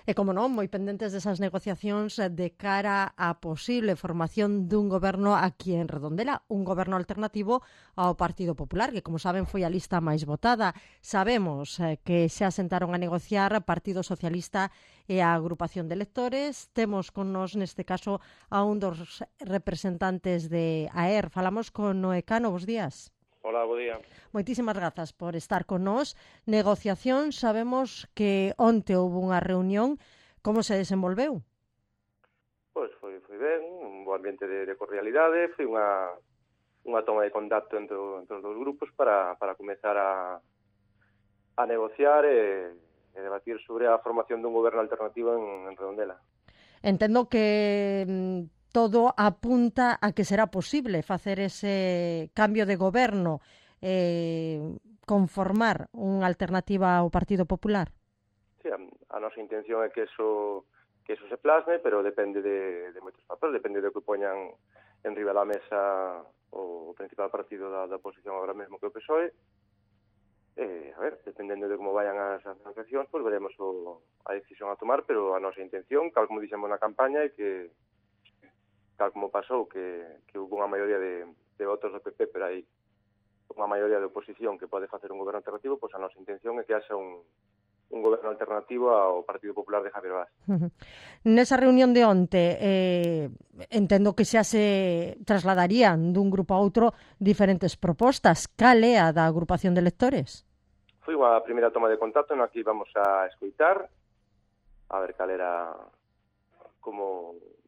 E, como non, moi pendentes desas negociacións de cara á posible formación dun goberno aquí en Redondela, un goberno alternativo ao Partido Popular, que, como saben, foi a lista máis votada. Sabemos que xa sentaron a negociar Partido Socialista e a agrupación de electores. Temos con nos, neste caso, a un dos representantes de AER. Falamos con Noé Cano. Bos días. Hola, bo día. Moitísimas grazas por estar con nós. Negociación, sabemos que onte houve unha reunión. Como se desenvolveu? Pois foi ben, un bo ambiente de cordialidade, foi unha toma de contacto entre os dous grupos para comezar a negociar e debatir sobre a formación dun goberno alternativo en Redondela. Entendo que todo apunta a que será posible facer ese cambio de goberno, conformar unha alternativa ao Partido Popular. Sí, a nosa intención é que eso se plasme, pero depende de moitos factores, depende do que poñan en riba da mesa o principal partido da oposición agora mesmo que o PSOE. A ver, dependendo de como vayan as negociacións, pois veremos a decisión a tomar, pero a nosa intención, tal como dixemos na campaña, é que tal como pasou, que houve unha maioría de votos do PP, pero hai unha maioría de oposición que pode facer un goberno alternativo, pois a nosa intención é que haxa un goberno alternativo ao Partido Popular de Javier Vaz. Nesa reunión de onte, entendo que xa se trasladarían dun grupo a outro diferentes propostas. Cal é a da agrupación de electores? Foi unha primeira toma de contacto na que íbamos a escoitar, a ver cal era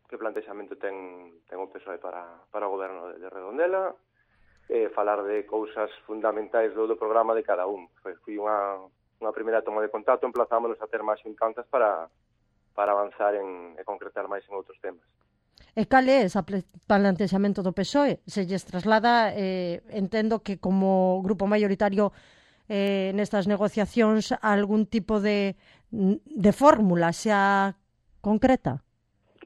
que plantexamento ten o PSOE para o goberno de Redondela, falar de cousas fundamentais do programa de cada un. Foi unha primeira toma de contacto, emplazámonos a ter máis xuntanzas para avanzar e concretar máis en outros temas. E cal é ese plantexamento do PSOE? Se lles traslada, entendo que como grupo maioritario nestas negociacións, algún tipo de fórmula xa concreta?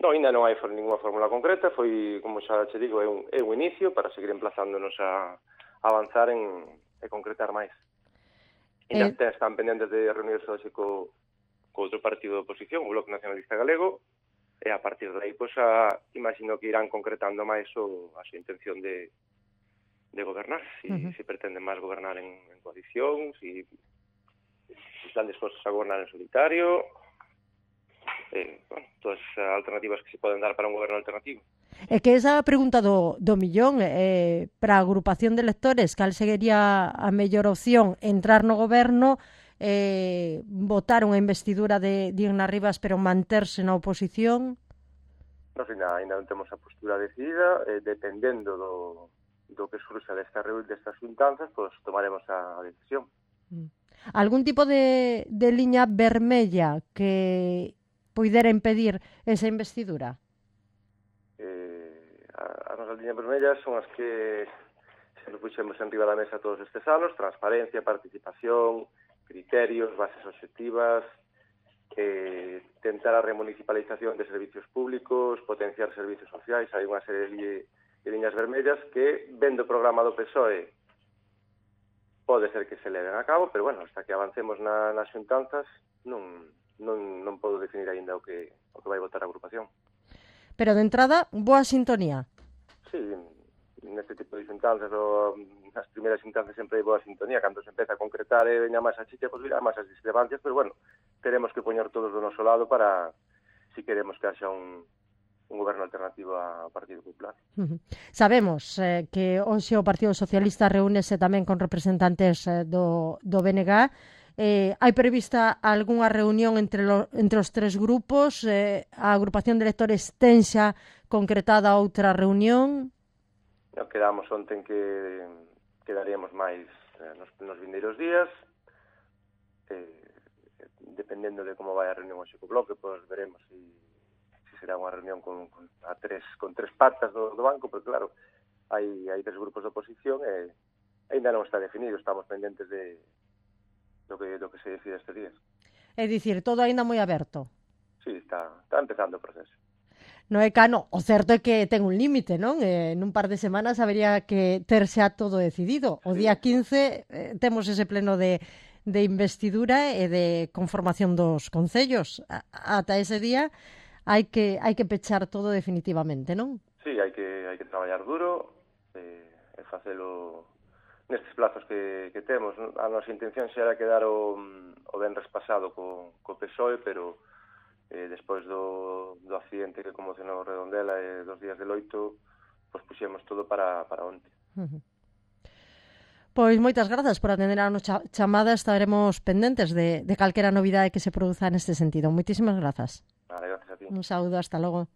Non, ainda non hai ninguna fórmula concreta, foi, como xa che digo, é un inicio para seguir emplazándonos a avanzar e concretar máis. Ainda están pendentes de reunirse hoxe co outro partido de oposición, o Bloque Nacionalista Galego, e a partir de aí, pois, imagino que irán concretando máis a súa intención de gobernar, se pretenden máis gobernar en coalición, se están dispostos a gobernar en solitario, todas as alternativas que se poden dar para un goberno alternativo. É que esa pregunta do millón, para a agrupación de electores, cal sería a mellor opción? Entrar no goberno, votar unha investidura de Diana Rivas, pero manterse na oposición? Nos ainda non temos a postura decidida, dependendo do que surxa destas xuntanzas, pois tomaremos a decisión. Algún tipo de liña vermella que poidera impedir esa investidura? As nosas liñas vermellas son as que se puxemos en riba da mesa todos estes anos: transparencia, participación, criterios, bases obxectivas, tentar a remunicipalización de servicios públicos, potenciar servicios sociais. Hai unha serie de liñas vermellas que, vendo o programa do PSOE, pode ser que se leven a cabo, pero, bueno, hasta que avancemos nas xuntanzas, non podo definir aínda o que vai votar a agrupación. Pero, de entrada, boa sintonía. Sí, neste tipo de xuntanzas, nas primeiras xuntanzas sempre hai boa sintonía. Cando se empeza a concretar e veña máis a chicha, pois virá máis as discrepancias, pero, bueno, teremos que poñer todos do noso lado para, si queremos que haxa un goberno alternativo ao Partido Popular. Sabemos que hoxe o Partido Socialista reúnese tamén con representantes do BNG. Hai prevista algunha reunión entre os tres grupos? A agrupación de electores ten xa concretada outra reunión? Quedamos onte que quedaríamos máis nos vindeiros días. Dependendo de como vai a reunión hoxe co Bloque, pois veremos se será unha reunión con tres patas do banco, porque, claro, hai tres grupos de oposición e ainda non está definido. Estamos pendentes do que se decide estes días. É dicir, todo aínda moi aberto. Sí, está empezando o proceso. Noé Cano, o certo é que ten un límite, non? Nun par de semanas habería que ter xa todo decidido. O día 15 temos ese pleno de investidura e de conformación dos concellos. Ata ese día hai que pechar todo definitivamente, non? Sí, hai que traballar duro e facelo nestes plazos que temos. A nosa intención xa era quedar o venres pasado co PSOE, pero despois do accidente que conmocionou Redondela e dos días de loito, pois puxemos todo para onte. Pois moitas grazas por atender a nosa chamada. Estaremos pendentes de calquera novidade que se produza neste sentido. Moitísimas grazas. Vale, gracias a ti. Un saúdo, hasta logo.